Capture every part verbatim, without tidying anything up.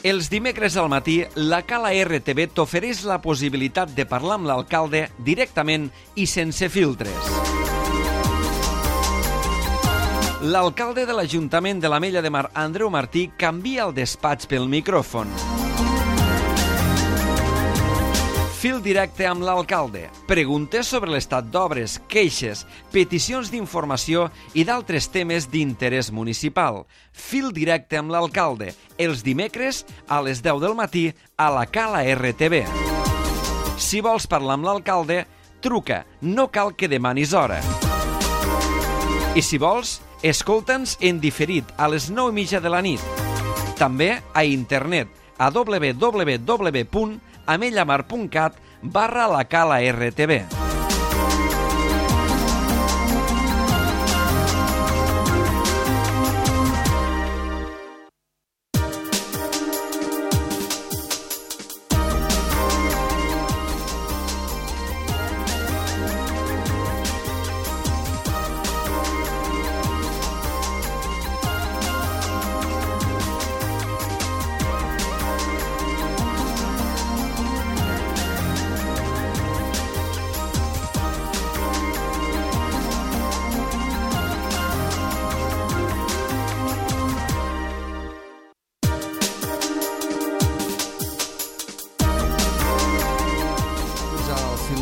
Els dimecres al matí, la Cala R T V t'ofereix la possibilitat de parlar amb l'alcalde directament i sense filtres. L'alcalde de l'Ajuntament de l'Ametlla de Mar, Andreu Martí, canvia el despatx pel micròfon. Fil directe amb l'alcalde. Preguntes sobre l'estat d'obres, queixes, peticions d'informació i d'altres temes d'interès municipal. Fil directe amb l'alcalde. Els dimecres a les deu del matí a la Cala R T V. Si vols parlar amb l'alcalde, truca. No cal que demanis hora. I si vols, escolta'ns en diferit a les nou i mitja de la nit. També a internet a w w w punt amellamar punt cat barra la Cala R T V.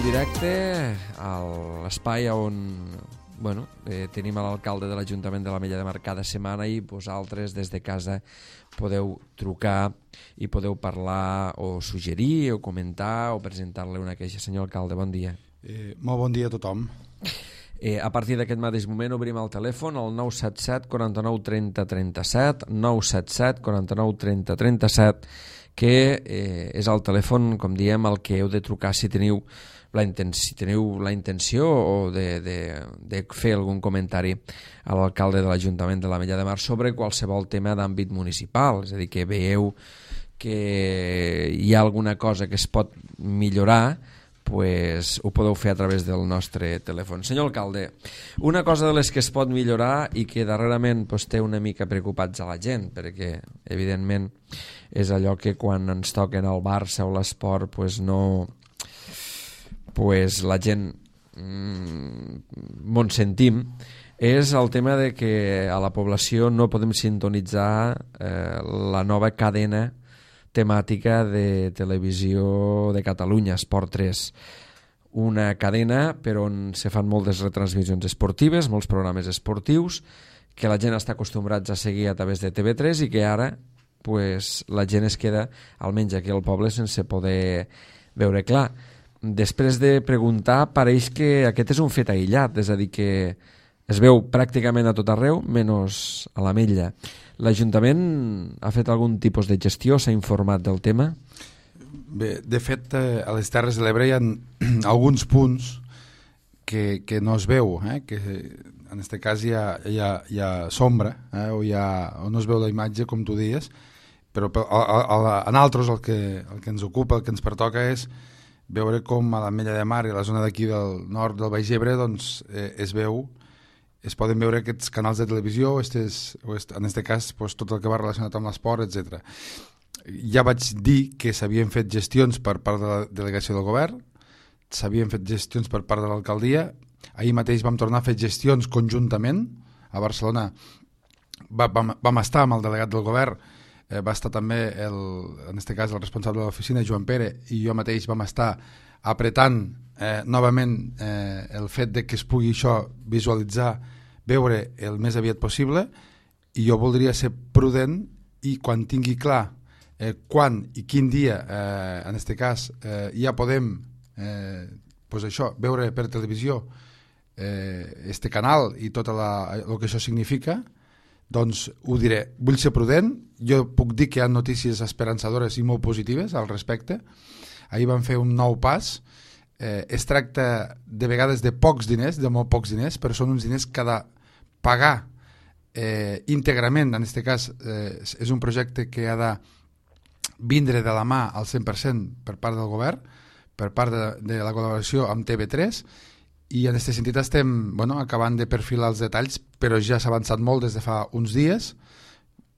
Directe a l'espai on bueno, eh, tenim a l'alcalde de l'Ajuntament de l'Ametlla de Mar cada setmana i vosaltres des de casa podeu trucar i podeu parlar o suggerir o comentar o presentar-li una queixa. Senyor alcalde, bon dia. Eh, molt bon dia a tothom. Eh, a partir d'aquest mateix moment obrim el telèfon al nou set set, quaranta-nou, trenta, trenta-set, nou set set, quaranta-nou, trenta, trenta-set, que eh, és el telèfon, com diem, al que heu de trucar si teniu la intenció, si teniu la intenció o de, de, de fer algun comentari a l'alcalde de l'Ajuntament de l'Ametlla de Mar sobre qualsevol tema d'àmbit municipal, és a dir, que veieu que hi ha alguna cosa que es pot millorar, pues ho podeu fer a través del nostre telèfon. Senyor alcalde, una cosa de les que es pot millorar i que darrerament pues, té una mica preocupats a la gent, perquè evidentment és allò que quan ens toquen el Barça o l'esport pues, no... pues la gent mmm, m'on sentim, és el tema de que a la població no podem sintonitzar eh, la nova cadena temàtica de televisió de Catalunya, Esport tres. Una cadena per on se fan moltes retransmissions esportives, molts programes esportius, que la gent està acostumbrats a seguir a través de T V tres i que ara pues, la gent es queda, almenys aquí al poble, sense poder veure clar. Després de preguntar, pareix que aquest és un fet aïllat, és a dir, que es veu pràcticament a tot arreu, menys a l'Ametlla. L'Ajuntament ha fet algun tipus de gestió, s'ha informat del tema? Bé, de fet, a les Terres de l'Ebre hi ha alguns punts que, que no es veu, eh? Que en aquest cas hi ha, hi ha, hi ha sombra, eh? o, hi ha, o no es veu la imatge, com tu dius, però a, a, a, en altres el que, el que ens ocupa, el que ens pertoca és veure com a l'Ametlla de Mar i a la zona d'aquí del nord del Baix Ebre doncs, eh, es veu, es poden veure aquests canals de televisió, estes, o est, en aquest cas pues, tot el que va relacionat amb l'esport, etcètera. Ja vaig dir que s'havien fet gestions per part de la delegació del govern, s'havien fet gestions per part de l'alcaldia, ahir mateix vam tornar a fer gestions conjuntament a Barcelona, va, vam, vam estar amb el delegat del govern, Eh, va estar també, el, en aquest cas, el responsable de l'oficina, Joan Pere, i jo mateix vam estar apretant eh, novament eh, el fet de que es pugui això visualitzar, veure el més aviat possible, i jo voldria ser prudent i quan tingui clar eh, quan i quin dia, eh, en aquest cas, eh, ja podem eh, pues això, veure per televisió eh, este canal i tot la, el que això significa, doncs ho diré. Vull ser prudent, jo puc dir que hi ha notícies esperançadores i molt positives al respecte. Ahir vam fer un nou pas, eh, es tracta de vegades de pocs diners, de molt pocs diners, però són uns diners que ha de pagar eh, íntegrament, en aquest cas eh, és un projecte que ha de vindre de la mà al cent per cent per part del govern, per part de, de la col·laboració amb T V tres, i en aquest sentit estem bueno, acabant de perfilar els detalls, però ja s'ha avançat molt des de fa uns dies,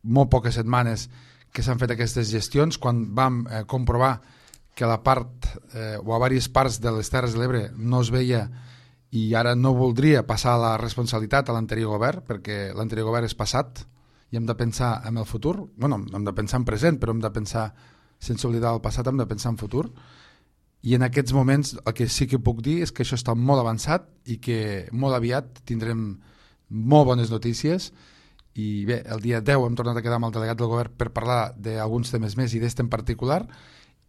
molt poques setmanes que s'han fet aquestes gestions, quan vam eh, comprovar que la part eh, o a diverses parts de les Terres de l'Ebre no es veia, i ara no voldria passar la responsabilitat a l'anterior govern, perquè l'anterior govern és passat i hem de pensar en el futur. Bueno, hem de pensar en present, però hem de pensar, sense oblidar el passat, hem de pensar en futur. I en aquests moments el que sí que puc dir és que això està molt avançat i que molt aviat tindrem molt bones notícies. I bé, el dia deu hem tornat a quedar amb el delegat del govern per parlar d'alguns temes més i d'este en particular,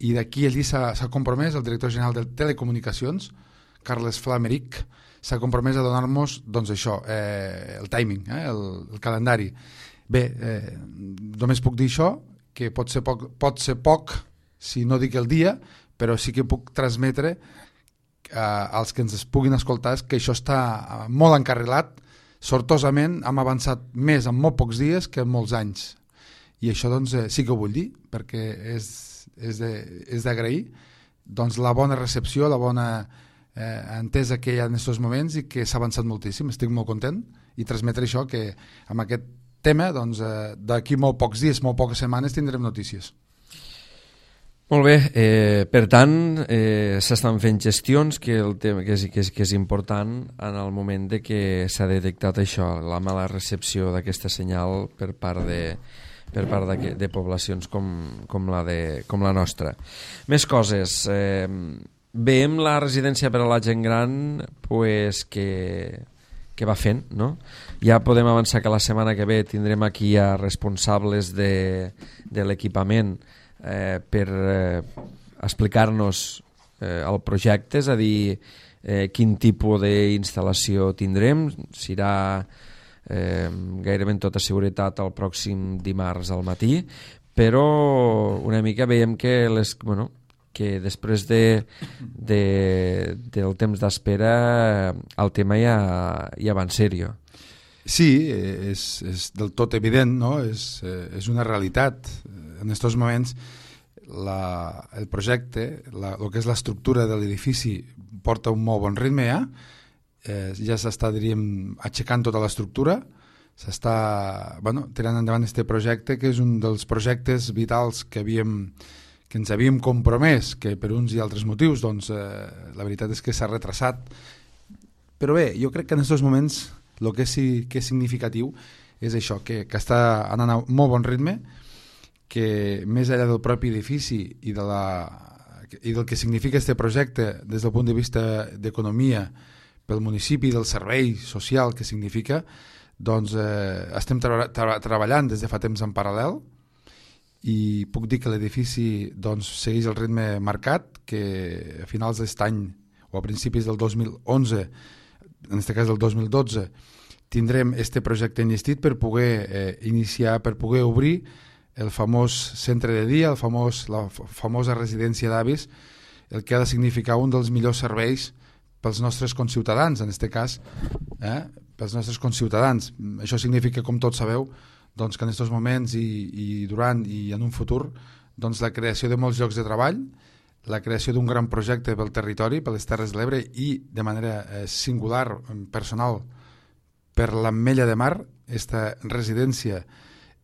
i d'aquí allí s'ha compromès el director general de Telecomunicacions, Carles Flameric, s'ha compromès a donar-nos doncs això, eh, el timing, eh, el, el calendari. Bé, eh, només puc dir això, que pot ser, poc, pot ser poc si no dic el dia, però sí que puc transmetre eh, als que ens puguin escoltar que això està molt encarrilat. Sortosament hem avançat més en molt pocs dies que en molts anys, i això doncs eh, sí que ho vull dir, perquè és, és d'agrair doncs, la bona recepció, la bona eh, entesa que hi ha en aquests moments, i que s'ha avançat moltíssim. Estic molt content i transmetre això, que amb aquest tema doncs, eh, d'aquí molt pocs dies, molt poques setmanes tindrem notícies. Molt bé, eh, per tant eh, s'estan fent gestions, que, el tema, que, és, que, és, que és important en el moment de que s'ha detectat això, la mala recepció d'aquesta senyal per part de, per part de, de poblacions com, com, la de, com la nostra. Més coses, eh, veiem la residència per a la gent gran pues, que, que va fent, no? Ja podem avançar que la setmana que ve tindrem aquí a responsables de, de l'equipament Eh, per eh, explicar-nos eh, el projecte, és a dir, eh, quin tipus d'instal·lació tindrem. Serà eh, gairebé en tota seguretat el pròxim dimarts al matí, però una mica veiem que, les, bueno, que després de, de, del temps d'espera el tema ja, ja va en sèrio. Sí, és, és del tot evident, no? És, és una realitat. En aquests moments la, el projecte, la, el que és l'estructura de l'edifici porta un molt bon ritme ja, eh, ja s'està, diríem, aixecant tota l'estructura, s'està bueno, tirant endavant aquest projecte, que és un dels projectes vitals que, havíem, que ens havíem compromès, que per uns i altres motius doncs, eh, la veritat és que s'ha retrasat. Però bé, jo crec que en aquests moments el que sí que és significatiu és això, que, que està anant a molt bon ritme, que més enllà del propi edifici i, de la, i del que significa aquest projecte des del punt de vista d'economia pel municipi, del servei social que significa, doncs eh, estem tra tra treballant des de fa temps en paral·lel, i puc dir que l'edifici doncs, segueix el ritme marcat, que a finals d'aquest any o a principis del dos mil onze, en aquest cas del dos mil dotze, tindrem este projecte enllestit per poder eh, iniciar, per poder obrir el famós centre de dia, el famós, la famosa residència d'avis, el que ha de significar un dels millors serveis pels nostres conciutadans, en aquest cas, eh, pels nostres conciutadans. Això significa, com tots sabeu, doncs, que en aquests moments i, i durant i en un futur, doncs, la creació de molts llocs de treball, la creació d'un gran projecte pel territori, per les Terres de l'Ebre, i de manera eh, singular, personal, per l'Ametlla de Mar, aquesta residència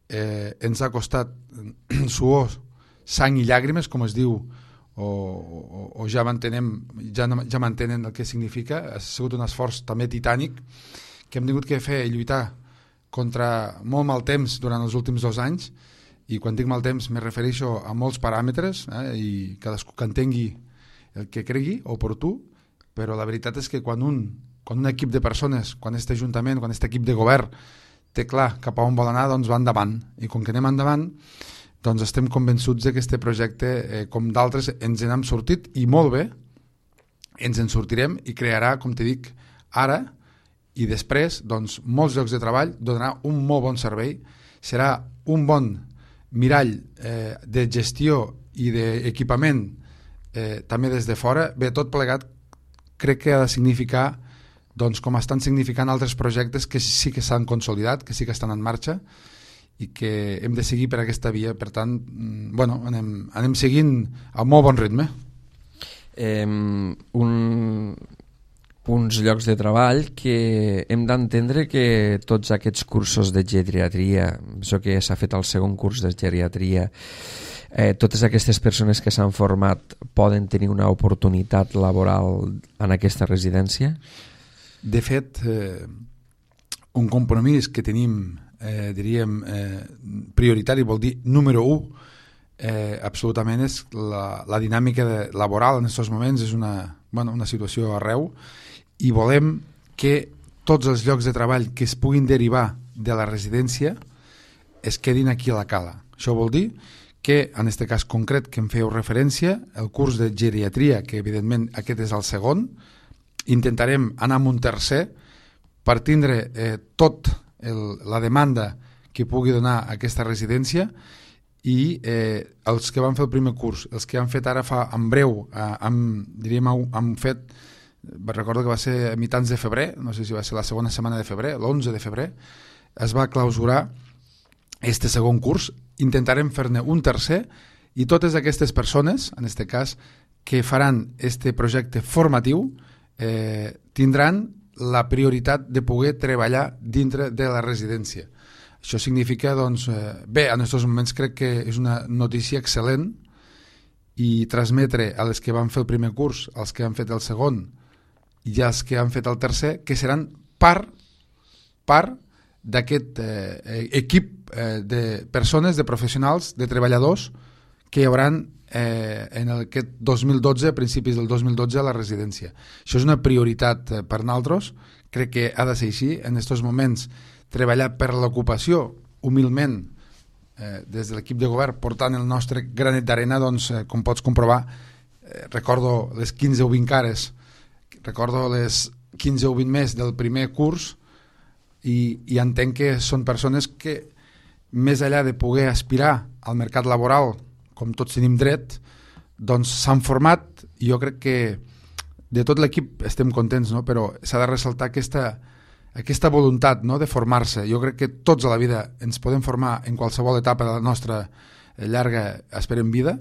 eh, ens ha costat suor, sang i llàgrimes, com es diu, o, o, o ja m'entenem, ja, ja m'entenen el que significa. Ha sigut un esforç també titànic que hem tingut que fer i lluitar contra molt mal temps durant els últims dos anys, i quan dic mal temps me refereixo a molts paràmetres, eh, i cadascú que entengui el que cregui oportú, però la veritat és que quan un, quan un equip de persones, quan aquest ajuntament, quan aquest equip de govern té clar cap a on vol anar, doncs va endavant, i com que anem endavant doncs estem convençuts que aquest projecte, eh, com d'altres, ens n'hem sortit, i molt bé, ens en sortirem, i crearà, com te dic, ara i després, doncs, molts llocs de treball, donarà un molt bon servei, serà un bon mirall eh, de gestió i d'equipament eh, també des de fora. Bé, tot plegat crec que ha de significar, doncs, com estan significant altres projectes que sí que s'han consolidat, que sí que estan en marxa, i que hem de seguir per aquesta via. Per tant, bueno, anem, anem seguint a molt bon ritme. Eh, un, uns llocs de treball que hem d'entendre que tots aquests cursos de geriatria, això que s'ha fet el segon curs de geriatria, eh, totes aquestes persones que s'han format poden tenir una oportunitat laboral en aquesta residència? De fet, eh, un compromís que tenim, eh, diríem, eh, prioritari, vol dir número u, eh, absolutament és la, la dinàmica de, laboral en aquests moments, és una, bueno, una situació arreu, i volem que tots els llocs de treball que es puguin derivar de la residència es quedin aquí a la cala. Això vol dir que, en aquest cas concret que em fèieu referència, el curs de geriatria, que evidentment aquest és el segon, intentarem anar amb un tercer per tindre eh, tot el, la demanda que pugui donar aquesta residència, i eh, els que van fer el primer curs, els que han fet ara fa en breu, eh, han, diríem, han fet, recordo que va ser a mitjans de febrer, no sé si va ser la segona setmana de febrer, l'onze de febrer, es va clausurar este segon curs. Intentarem fer-ne un tercer, i totes aquestes persones, en aquest cas, que faran este projecte formatiu, eh, tindran la prioritat de poder treballar dintre de la residència. Això significa, doncs, eh, bé, en aquests moments crec que és una notícia excel·lent, i transmetre a les que van fer el primer curs, als que han fet el segon i als que han fet el tercer, que seran part, part d'aquest eh, equip eh, de persones, de professionals, de treballadors que hi haurà eh, en aquest dos mil dotze, a principis del dos mil dotze, a la residència. Això és una prioritat eh, per nosaltres, crec que ha de ser així. En aquests moments, treballar per l'ocupació, humilment, eh, des de l'equip de govern, portant el nostre granet d'arena, doncs, eh, com pots comprovar, eh, recordo les quinze o vint cares, recordo les quinze o vint més del primer curs, i, i entenc que són persones que, més enllà de poder aspirar al mercat laboral, com tots tenim dret, doncs s'han format, i jo crec que de tot l'equip estem contents, no? Però s'ha de ressaltar aquesta, aquesta voluntat, no?, de formar-se. Jo crec que tots a la vida ens podem formar en qualsevol etapa de la nostra llarga, esperem, vida,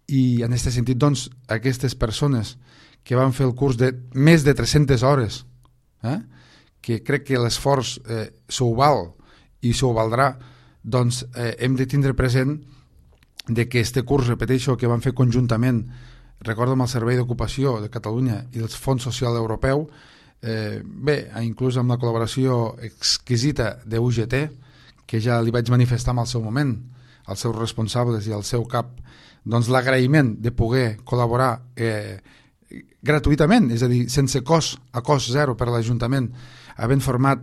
i en aquest sentit, doncs, aquestes persones que van fer el curs de més de tres-centes hores, eh? que crec que l'esforç eh, s'ho val i s'ho valdrà, doncs eh, hem de tindre present de que este curs, repeteixo, que van fer conjuntament, recordo, amb el Servei d'Ocupació de Catalunya i el Fons Social Europeu, eh, bé, inclús amb la col·laboració exquisita de U G T, que ja li vaig manifestar en el seu moment, als seus responsables i al seu cap, doncs l'agraïment de poder col·laborar eh, gratuïtament, és a dir, sense cost, a cost zero per a l'Ajuntament, havent format,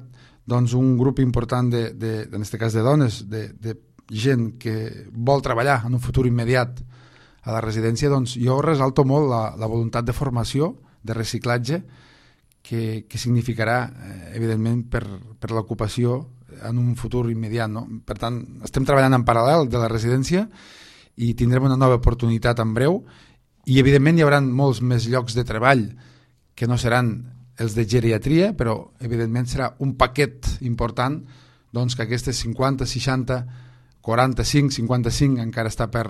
doncs, un grup important de, de, en aquest cas de dones, de, de gent que vol treballar en un futur immediat a la residència, doncs jo resalto molt la, la voluntat de formació, de reciclatge, que, que significarà, eh, evidentment, per, per l'ocupació en un futur immediat, no? Per tant, estem treballant en paral·lel de la residència i tindrem una nova oportunitat en breu, i evidentment hi haurà molts més llocs de treball que no seran els de geriatria, però evidentment serà un paquet important, doncs, que aquestes cinquanta, seixanta, quaranta-cinc, cinquanta-cinc encara està per,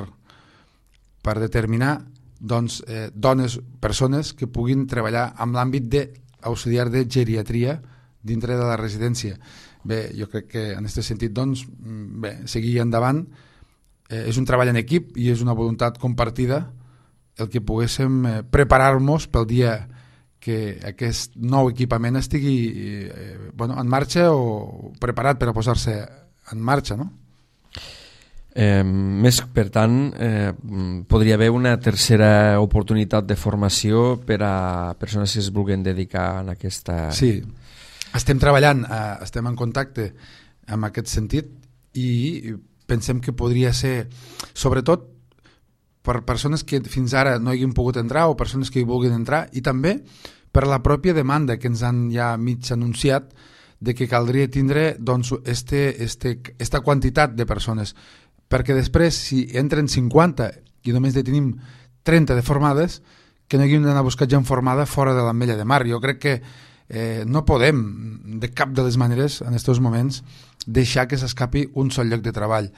per determinar, doncs, eh, dones, persones que puguin treballar en l'àmbit d'auxiliar de geriatria dintre de la residència. Bé, jo crec que en aquest sentit, doncs, bé, seguir endavant, eh, és un treball en equip i és una voluntat compartida el que poguéssim eh, preparar-nos pel dia que aquest nou equipament estigui eh, bueno, en marxa o preparat per a posar-se en marxa, no? Eh, més, per tant, eh, podria haver una tercera oportunitat de formació per a persones que es vulguin dedicar en aquesta... Sí, estem treballant, eh, estem en contacte en aquest sentit, i pensem que podria ser, sobretot, per persones que fins ara no hagin pogut entrar o persones que hi vulguin entrar, i també per la pròpia demanda que ens han ja mig anunciat de que caldria tindre, doncs, este, este, esta quantitat de persones, perquè després, si entren cinquanta i només ne tenim trenta de formades, que no haguem d'anar a buscar gent formada fora de l'Ametlla de Mar. Jo crec que eh, no podem, de cap de les maneres, en aquests moments, deixar que s'escapi un sol lloc de treball.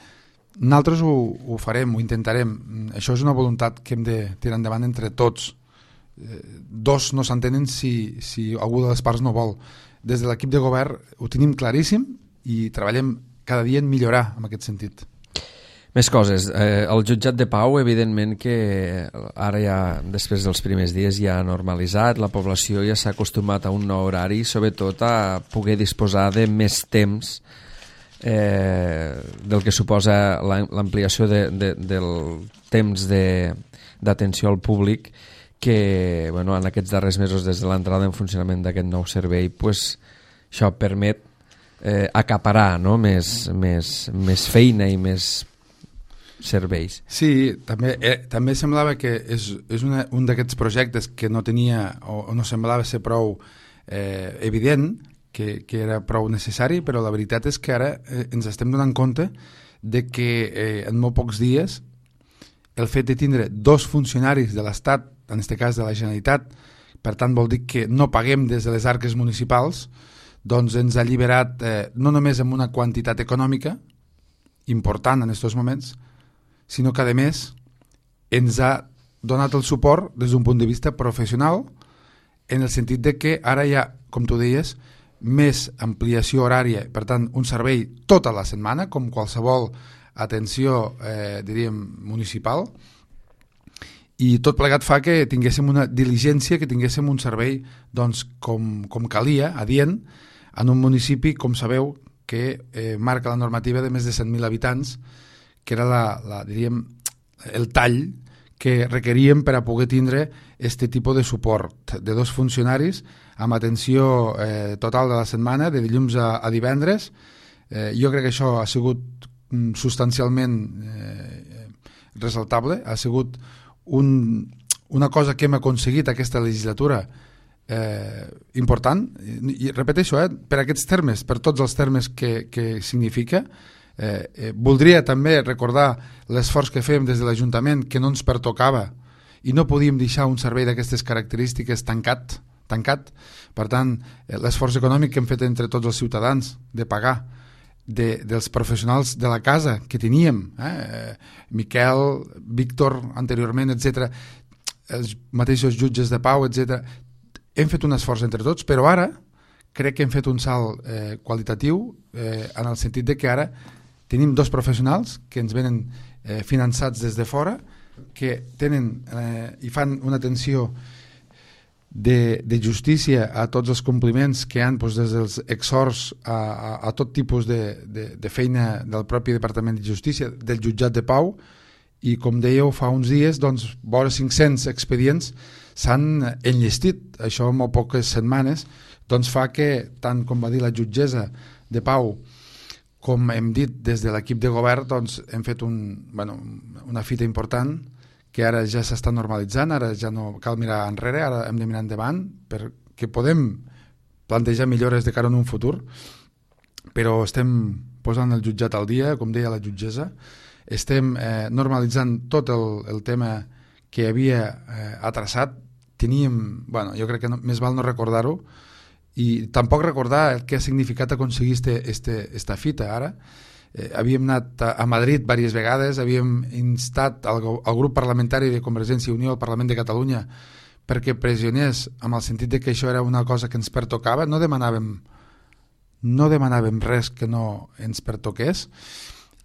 Nosaltres ho, ho farem, ho intentarem. Això és una voluntat que hem de tirar endavant entre tots. eh, dos no s'entenen si, si algú de les parts no vol. Des de l'equip de govern ho tenim claríssim i treballem cada dia en millorar en aquest sentit. Més coses. Eh, el jutjat de pau, evidentment que ara ja, després dels primers dies, ja ha normalitzat, la població ja s'ha acostumat a un nou horari, sobretot a poder disposar de més temps eh, del que suposa l'ampliació de, de, del temps d'atenció al públic, que bueno, en aquests darrers mesos, des de l'entrada en funcionament d'aquest nou servei, pues, això permet eh, acaparar, no? més, més, més feina i més serveis. Sí, també, eh, també semblava que és, és una, un d'aquests projectes que no tenia o, o no semblava ser prou eh, evident, que, que era prou necessari, però la veritat és que ara eh, ens estem donant compte de que eh, en molt pocs dies el fet de tindre dos funcionaris de l'Estat, en aquest cas de la Generalitat, per tant vol dir que no paguem des de les arques municipals, doncs ens ha alliberat eh, no només amb una quantitat econòmica important en aquests moments, sinó que a més ens ha donat el suport des d'un punt de vista professional, en el sentit de que ara hi ha, com tu deies, més ampliació horària, per tant un servei tota la setmana, com qualsevol atenció, eh, diríem, municipal, i tot plegat fa que tinguéssim una diligència, que tinguéssim un servei doncs, com, com calia, adient, en un municipi, com sabeu, que eh, marca la normativa de més de cent mil habitants, que era la, la, diríem, el tall que requeríem per a poder tindre aquest tipus de suport de dos funcionaris amb atenció eh, total de la setmana, de dilluns a, a divendres. Eh, jo crec que això ha sigut mm, substancialment eh, resaltable, ha sigut un, una cosa que hem aconseguit aquesta legislatura eh, important, i, i repeteixo, eh, per aquests termes, per tots els termes que, que significa. Eh, eh, voldria també recordar l'esforç que fem des de l'Ajuntament, que no ens pertocava i no podíem deixar un servei d'aquestes característiques tancat, tancat. Per tant, eh, l'esforç econòmic que hem fet entre tots els ciutadans de pagar, de, dels professionals de la casa que teníem, eh, Miquel, Víctor anteriorment, etcètera, els mateixos jutges de pau, etcètera. Hem fet un esforç entre tots, però ara crec que hem fet un salt eh, qualitatiu eh, en el sentit de que ara tenim dos professionals que ens venen eh, finançats des de fora, que tenen eh, i fan una atenció de, de justícia a tots els compliments que hi ha, doncs, des dels exhorts a, a, a tot tipus de, de, de feina del propi Departament de Justícia, del jutjat de pau, i com dèieu fa uns dies, doncs, vora cinc-cents expedients s'han enllestit. Això en molt poques setmanes doncs fa que, tant com va dir la jutgessa de pau, com hem dit des de l'equip de govern, doncs hem fet un, bueno, una fita important que ara ja s'està normalitzant, ara ja no cal mirar enrere, ara hem de mirar endavant perquè podem plantejar millores de cara a un futur, però estem posant el jutjat al dia, com deia la jutgessa, estem eh, normalitzant tot el, el tema que havia eh, atrasat. Teníem, bueno, jo crec que no, més val no recordar-ho, i tampoc recordar el que ha significat aconseguir este, este, esta fita ara. Eh, havíem anat a, a Madrid diverses vegades, havíem instat al, al grup parlamentari de Convergència i Unió al Parlament de Catalunya perquè pressionés amb el sentit de que això era una cosa que ens pertocava. No demanàvem, no demanàvem res que no ens pertoqués,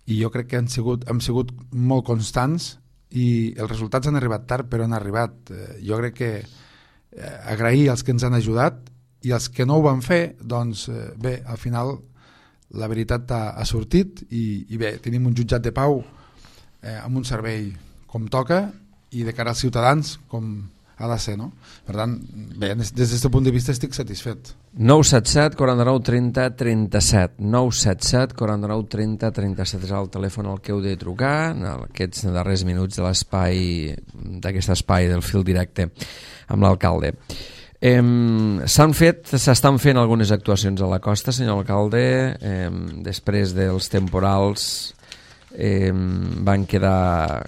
i jo crec que han sigut, hem sigut molt constants i els resultats han arribat tard, però han arribat. Eh, jo crec que eh, agrair als que ens han ajudat, i els que no ho van fer, doncs eh, bé, al final la veritat ha, ha sortit i, i bé, tenim un jutjat de pau eh, amb un servei com toca i de cara als ciutadans com ha de ser, no? Per tant, bé, des d'aquest punt de vista estic satisfet. nou set set, quaranta-nou, trenta, trenta-set nou set set, quaranta-nou, trenta, trenta-set és el telèfon al que heu de trucar en aquests darrers minuts de l'espai d'aquest espai del fil directe amb l'alcalde. Eh, s'han fet, s'estan fent algunes actuacions a la costa, senyor alcalde. Eh, després dels temporals eh, van quedar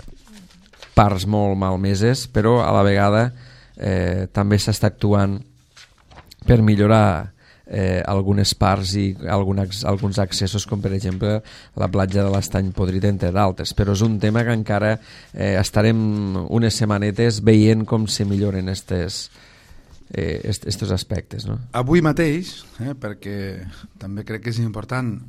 parts molt malmeses, però a la vegada eh, també s'està actuant per millorar eh, algunes parts i alguns, alguns accessos, com per exemple la platja de l'Estany Podrit, entre d'altres. Però és un tema que encara eh, estarem unes setmanetes veient com se milloren estes, eh, estos aspectes, no? Avui mateix, eh, perquè també crec que és important,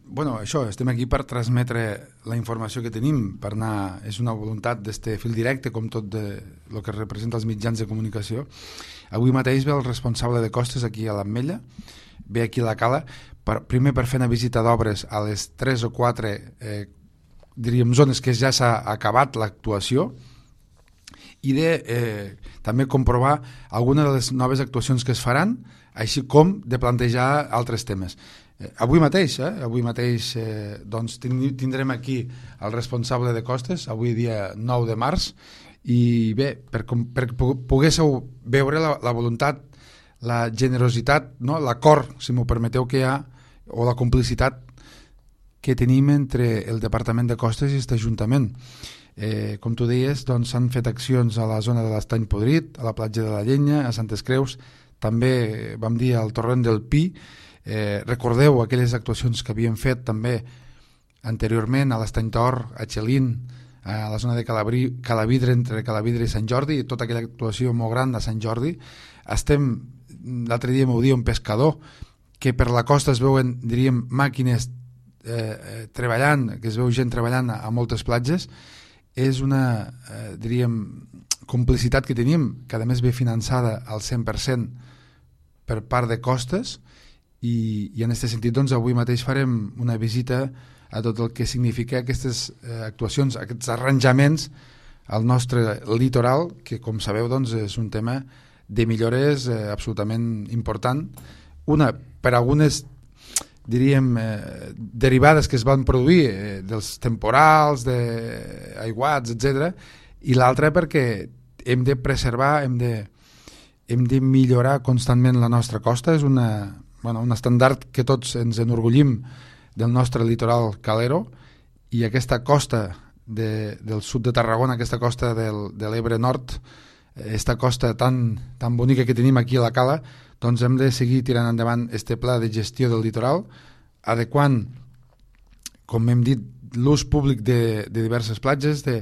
bueno, això, estem aquí per transmetre la informació que tenim, per anar, és una voluntat d'este fil directe, com tot de, el que representa els mitjans de comunicació. Avui mateix ve el responsable de costes aquí a l'Ametlla, ve aquí a la Cala, per, primer per fer una visita d'obres a les tres o quatre eh, diríem zones que ja s'ha acabat l'actuació, i de eh, també comprovar algunes de les noves actuacions que es faran, així com de plantejar altres temes. Eh, avui mateix, eh, avui mateix eh, doncs tindrem aquí el responsable de costes, avui dia nou de març, i bé, per, per poguésseu veure la, la voluntat, la generositat, no? L'acord, si m'ho permeteu, que hi ha, o la complicitat que tenim entre el Departament de Costes i aquest Ajuntament. Eh, com tu deies, doncs s'han fet accions a la zona de l'Estany Podrit, a la platja de la Llenya, a Santes Creus, també vam dir al torrent del Pi. Eh, recordeu aquelles actuacions que havíem fet també anteriorment a l'Estany Tor, a Xelín, a la zona de Calabrí, Calavidre, entre Calavidre i Sant Jordi, i tota aquella actuació molt gran de Sant Jordi. Estem, l'altre dia m'ho dia un pescador, que per la costa es veuen, diríem, màquines eh, treballant, que es veu gent treballant a, a moltes platges. És una, eh, diríem, complicitat que tenim, que a més ve finançada al cent per cent per part de costes, i, i en aquest sentit doncs, avui mateix farem una visita a tot el que significa aquestes eh, actuacions, aquests arranjaments al nostre litoral, que com sabeu doncs, és un tema de millores eh, absolutament important. Una, per algunes diríem eh, derivades que es van produir eh, dels temporals, d'aiguats, etcètera, i l'altra perquè hem de preservar, hem de, hem de millorar constantment la nostra costa. És una, bueno, un estàndard que tots ens enorgullim del nostre litoral calero, i aquesta costa de, del sud de Tarragona, aquesta costa del, de l'Ebre Nord, aquesta costa tan, tan bonica que tenim aquí a la Cala, doncs hem de seguir tirant endavant este pla de gestió del litoral, adequant, com hem dit, l'ús públic de, de diverses platges, de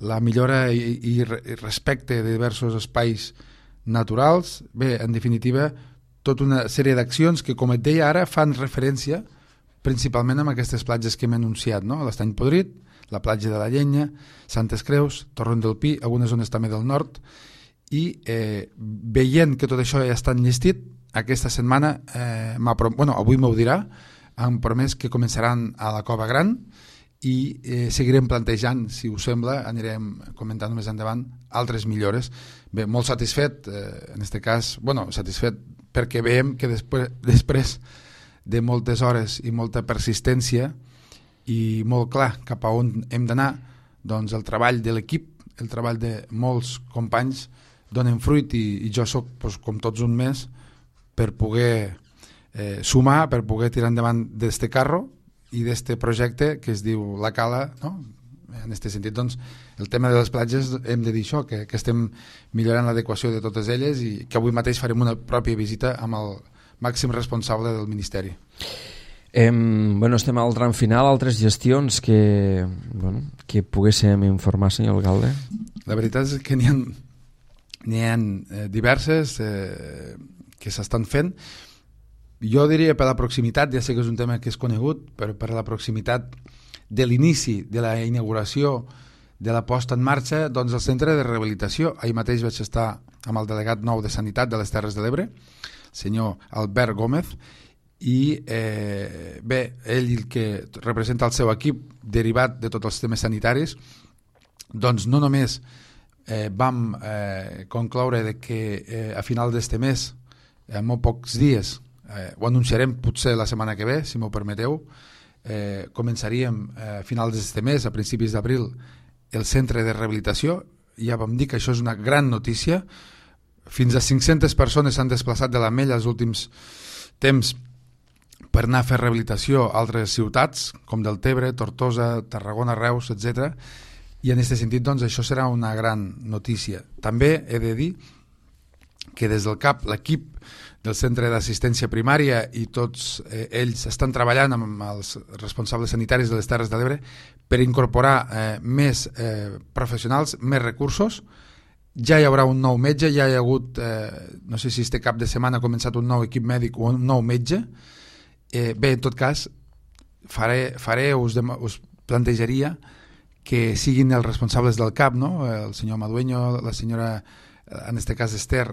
la millora i, i respecte de diversos espais naturals. Bé, en definitiva, tota una sèrie d'accions que, com et deia ara, fan referència principalment amb aquestes platges que hem anunciat, no? l'Estany Podrit, la platja de la Llenya, Santes Creus, Torrent del Pi, algunes zones també del nord, i eh, veient que tot això ja està enllestit, aquesta setmana, eh, bueno, avui m'ho dirà, han promès que començaran a la Cova Gran, i eh, seguirem plantejant, si us sembla, anirem comentant més endavant altres millores. Bé, molt satisfet, eh, en aquest cas, bueno, satisfet perquè veiem que després, després de moltes hores i molta persistència i molt clar cap a on hem d'anar, doncs el treball de l'equip, el treball de molts companys donen fruit, i, i jo soc, doncs, com tots un mes, per poder eh, sumar, per poder tirar endavant d'este carro i d'este projecte que es diu La Cala, no? En aquest sentit, doncs, el tema de les platges hem de dir això, que, que estem millorant l'adequació de totes elles, i que avui mateix farem una pròpia visita amb el màxim responsable del Ministeri. Eh, bueno, estem al tram final. Altres gestions que, bueno, que poguéssim informar, senyor alcalde? La veritat és que n'hi ha, n'hi ha eh, diverses eh, que s'estan fent. Jo diria per la proximitat, ja sé que és un tema que és conegut, però per la proximitat de l'inici de la inauguració de la posta en marxa, doncs el centre de rehabilitació. Ahir mateix vaig estar amb el delegat nou de Sanitat de les Terres de l'Ebre, senyor Albert Gómez, i eh, bé, ell el que representa el seu equip derivat de tots els temes sanitaris, doncs no només eh, vam eh, concloure de que eh, a final d'este mes, en molt pocs dies, eh, ho anunciarem potser la setmana que ve, si m'ho permeteu, eh, començaríem eh, a finals d'este mes, a principis d'abril, el centre de rehabilitació. Ja vam dir que això és una gran notícia. Fins a cinc-centes persones s'han desplaçat de l'Ametlla els últims temps per anar a fer rehabilitació a altres ciutats, com Deltebre, Tortosa, Tarragona, Reus, etcètera. I en aquest sentit, doncs, això serà una gran notícia. També he de dir que des del C A P, l'equip del Centre d'Assistència Primària i tots eh, ells estan treballant amb els responsables sanitaris de les Terres de l'Ebre per incorporar eh, més eh, professionals, més recursos. Ja hi haurà un nou metge, ja hi ha hagut, eh, no sé si este cap de setmana ha començat un nou equip mèdic o un nou metge. Eh, bé, en tot cas, faré, faré us, dem us plantejaria que siguin els responsables del C A P, no? El senyor Madueño, la senyora, en aquest cas Esther,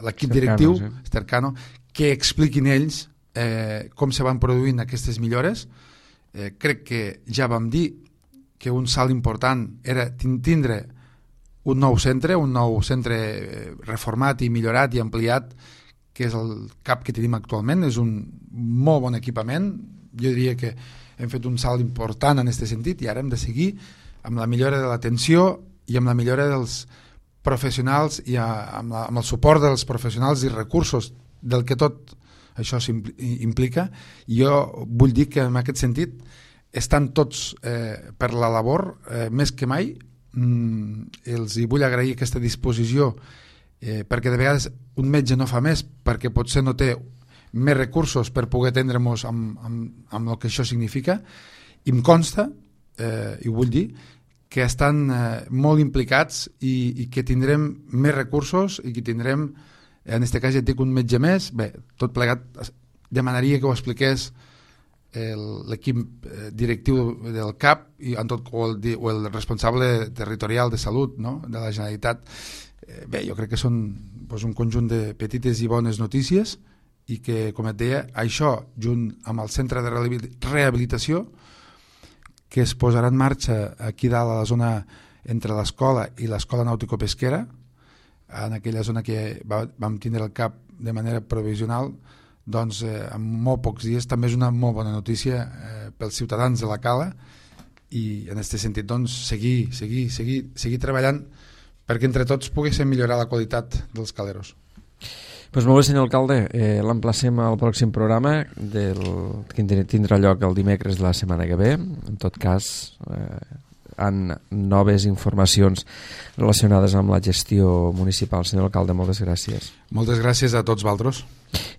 l'equip directiu, sí. Esther Cano, que expliquin ells eh, com se van produint aquestes millores. Eh, crec que ja vam dir que un salt important era tindre un nou centre, un nou centre reformat i millorat i ampliat, que és el C A P que tenim actualment. És un molt bon equipament. Jo diria que hem fet un salt important en aquest sentit i ara hem de seguir amb la millora de l'atenció i amb la millora dels professionals i amb, la, amb el suport dels professionals i recursos del que tot això implica. I jo vull dir que en aquest sentit estan tots eh, per la labor eh, més que mai. Mm, els hi vull agrair aquesta disposició eh, perquè de vegades un metge no fa més perquè potser no té més recursos per poder atendre-nos amb, amb, amb el que això significa, i em consta, eh, i ho vull dir, que estan eh, molt implicats i, i que tindrem més recursos i que tindrem, en aquest cas ja et dic, un metge més. Bé, tot plegat demanaria que ho expliqués l'equip directiu del C A P i en tot, o, el, o el responsable territorial de salut, no?, de la Generalitat. Eh, bé, jo crec que són doncs, un conjunt de petites i bones notícies i que, com et deia, això, junt amb el centre de rehabilitació, que es posarà en marxa aquí dalt a la zona entre l'escola i l'escola nàutico-pesquera, en aquella zona que va, vam tindre el C A P de manera provisional, doncs eh, en molt pocs dies també és una molt bona notícia eh, pels ciutadans de la Cala, i en aquest sentit doncs seguir, seguir, seguir, seguir treballant perquè entre tots poguéssim millorar la qualitat dels caleros. Pues molt bé, senyor alcalde, eh, l'emplacem al pròxim programa del, que tindrà lloc el dimecres de la setmana que ve. En tot cas, eh, en noves informacions relacionades amb la gestió municipal. Senyor alcalde, moltes gràcies. Moltes gràcies a tots vosaltres.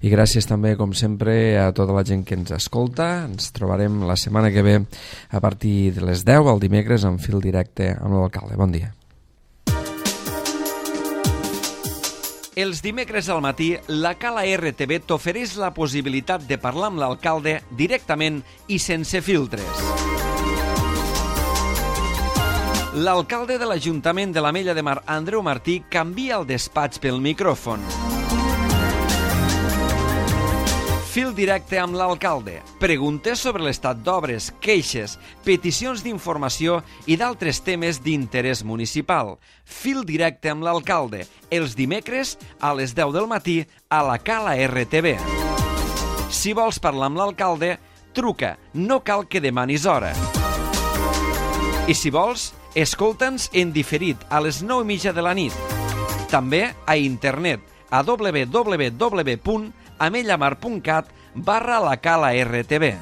I gràcies també, com sempre, a tota la gent que ens escolta. Ens trobarem la setmana que ve a partir de les deu, el dimecres, en fil directe amb l'alcalde. Bon dia. Els dimecres al matí, la Cala R T V t'ofereix la possibilitat de parlar amb l'alcalde directament i sense filtres. L'alcalde de l'Ajuntament de l'Ametlla de Mar, Andreu Martí, canvia el despatx pel micròfon. Fil directe amb l'alcalde. Preguntes sobre l'estat d'obres, queixes, peticions d'informació i d'altres temes d'interès municipal. Fil directe amb l'alcalde. Els dimecres a les deu del matí a la Cala R T V. Si vols parlar amb l'alcalde, truca. No cal que demanis hora. I si vols, escolta'ns en diferit a les nou i mitja de la nit. També a internet a w w w punt amellamar punt cat barra la Cala R T V.